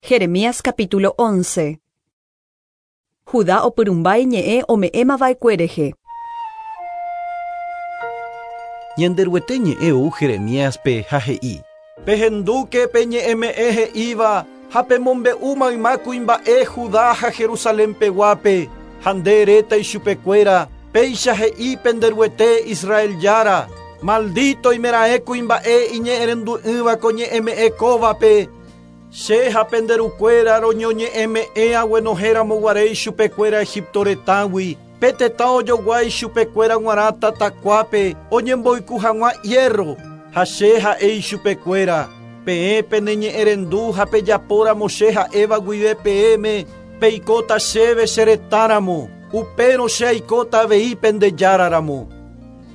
Jeremías capítulo 11. Judá opyrũmba iñe'ẽ ome'ẽmava'ekue rehe. Ñanderuete ñe'ẽ ou Jeremíaspe ha he'i. Pehendúke pe ñe'ẽme'ẽ he'íva ha pemombe'u mayma kuimba'e Judá ha Jerusalén peguápe, ha nde eréta ichupekuéra, Péicha he'i pende Ruete Israel Jára, Maldito oimeraẽ kuimba'e iñe'ẽrendu'ỹva ko ñe'ẽme'ẽ kóvape, Che ha pende rukuéra roñoñe'ẽme'ẽ aguenohẽ ramoguare ichupekuéra Egipto retãgui, pe tetã ojogua ichupekuéra g̃uarã tatakuápe oñemboyku hag̃ua hierro, ha che ha'e ichupekuéra, Peẽ peneñe'ẽrendu ha pejapóramo che ha'éva guive peẽme, peikóta chéve che retãramo, upérõ che aikóta avei pende Járaramo.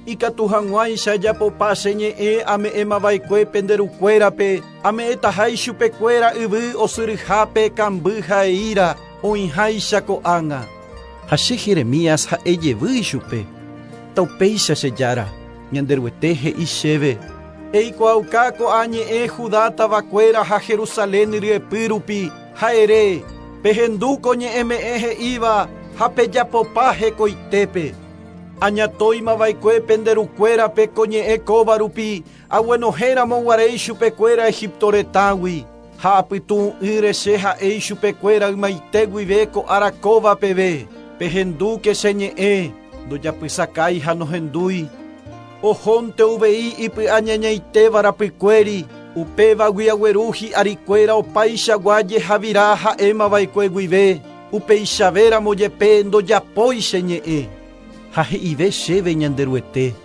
Ikatu hag̃uáicha ajapopa che ñe'ẽ ame'ẽmava'ekue pende rukuérape, ame'ẽtaha ichupekuéra yvy osyryhápe kamby ha eíra, oĩháicha ko'ág̃a. Ha che Jeremías ha'e jevy ichupe, Taupéicha che Jára, Ñanderuete he'i chéve, Eikuaauka ko'ã ñe'ẽ Judá tavakuéra ha Jerusalén ryepy rupi, ha ere, Pehendu ko ñe'ẽme'ẽ he'íva ha pejapopa hekoitépe. Añatóima va'ekue pende rukuérape ko ñe'ẽ kóva rupi, aguenohẽ ramo guare ichupekuéra Egipto retãgui, ha apytu'ũ'ỹre che ha'e ichupekuéra ymaite guive ko ára kóva peve, Pehendúke che ñe'ẽ, ndojapysakái ha nohendúi. Ohónte uvei ipy'añañaitéva rapykuéri, upévagui agueru hi'arikuéra opaichagua jehavira ha'éma va'ekue guive. Upeichavéramo jepe ndojapói che ñe'ẽ. Ha he'ive chéve Ñanderuete,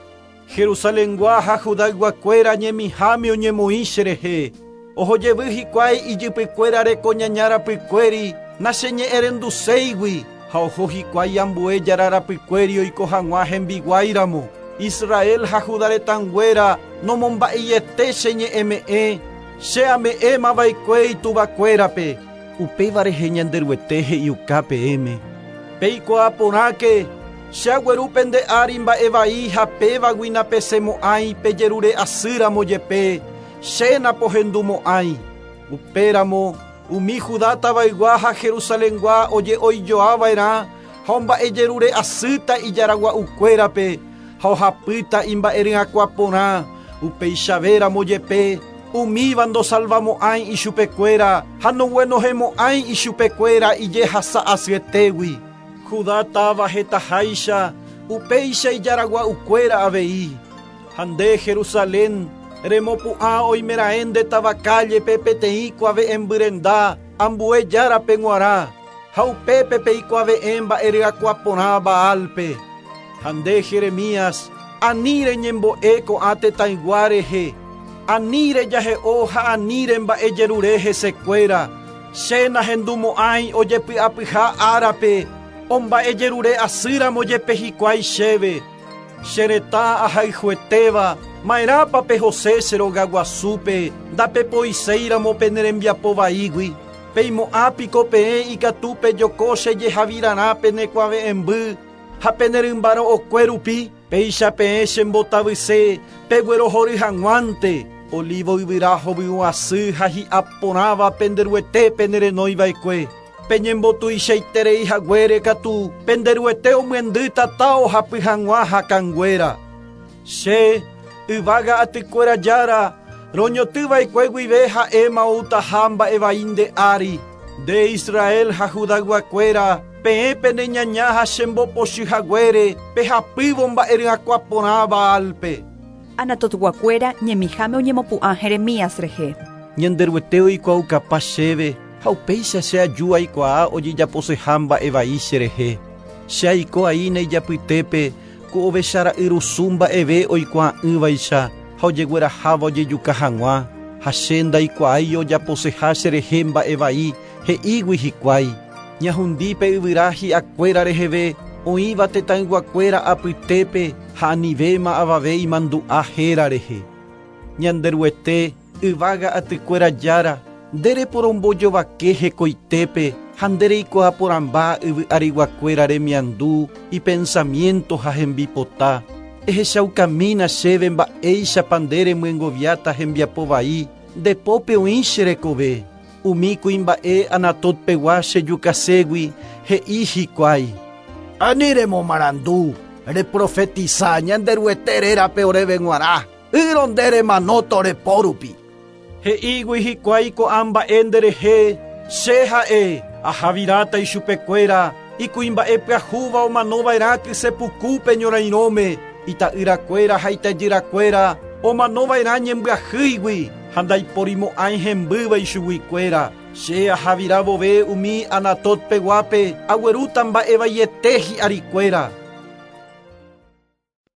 Jerusalengua ha Judayguakuéra ñemiháme oñemoĩ cherehe, oho jevy hikuái ijypykuéra reko ñaña rapykuéri nacheñe'ẽrenduséigui, ha oho hikuái ambue jára rapykuéri oiko hag̃ua hembiguáiramo. Israel ha Juda retãnguéra nomomba'eiete che ñe'ẽme'ẽ, che ame'ẽmava'ekue ituvakuérape. Upéva rehe Ñanderuete he'iuka peẽme, Peikuaa porãke, che agueru pende ári mba'e vai ha pévagui napesẽmo'ãi pejerure asy ramo jepe, che napohendumo'ãi. Upéramo, umi Judá tavaygua ha Jerusalengua oje'oijoa va'erã ha omba'ejerure asýta ijaragua'ukuérape ha ohapýta imba'eryakuã porã, upeichavéramo jepe, Umíva ndosalvamo'ãi ichupekuéra ha noguenohẽmo'ãi ichupekuéra ijehasa asyetégui. Judá táva hetaháicha, upéicha ijaragua'ukuéra avei. Ha nde, Jerusalén, remopu'ã oimeraẽ nde táva kállepe peteĩ kuave'ẽmby renda ambue járape g̃uarã, ha upépe peikuave'ẽ mba'e ryakuã porã Baálpe. Ha nde, Jeremías, ani reñembo'e ko'ã tetãygua rehe, ani rejahe'o ha ani remba'ejerure hesekuéra, che nahendumo'ãi ojepy'apyha árape omba'ejerure asýramo jepe hikuái chéve. Che retã ahayhuetéva, ma'erãpa pehose che rogaguasúpe ndapepoiséiramo pene rembiapo vaígui? Peimo'ã piko peẽ ikatu pejoko che jehavirarã pene kuave'ẽmby ha pene rymba ro'okue rupi? Péicha peẽ che mbotavyse peguerohory hag̃uánte, olívo yvyra hovyũ asy ha hi'a porãva pende Ruete penerenói va'ekue. Peñembotuichaiterei haguére katu pende Ruete omyendy tata ohapy hag̃ua hakãnguéra. Che, yvága atykuéra Jára, roñoty va'ekue guive ha'éma outaha mba'e vai nde ári. Nde Israel ha Judayguakuéra, peẽ pene ñaña ha che mbopochy haguére pehapývo mba'e ryakuã porã Baálpe. Anatotguakuéra ñemiháme oñemopu'ã Jeremías rehe. Ñanderuete oikuaukapa chéve ha upéicha che aju aikuaa ojejaposeha mba'e vai cherehe. Che aiko aína ijapytépe Ku ovecha ra'yrusu mba'eve oikuaa'ỹvaicha ha ojegueraháva ojejuka hag̃ua, ha che ndaikuaái ojaposeha cherehe mba'e vai, he'ígui hikuái, Ñahundi pe yvyra hi'akuéra reheve oĩva tetãyguakuéra apytépe ha anivéma avave imandu'a héra rehe. Ñanderuete, yvága atykuéra Jára, nde reporombojovake hekoitépe ha nde reikuaa porãmba yvy ariguakuéra remiandu, ipensamiénto ha hembipota. Ehechaukamína chéve mba'éichapa nde remyengoviáta hembiapo vai, nde pópe oĩ che rekove. Umi kuimba'e Anatotpegua chejukaségui he'i hikuái. Ani remomarandu, reprofetisa Ñanderuete rérape oréve g̃uarã, ýrõ nde remanóta ore po rupi. He'ígui hikuái ko'ã mba'e nderehe, che ha'e, ahaviráta ichupekuéra, ikuimba'e pyahúva omanova'erã kysepukúpe ñorairõme, ita'yrakuéra ha itajyrakuéra omanova'erã ñembyahýigui ha ndaiporimo'ãi hembýva ichuguikuéra. Che ahavira vove umi Anatotpeguápe aguerúta mba'evaiete hi'arikuéra.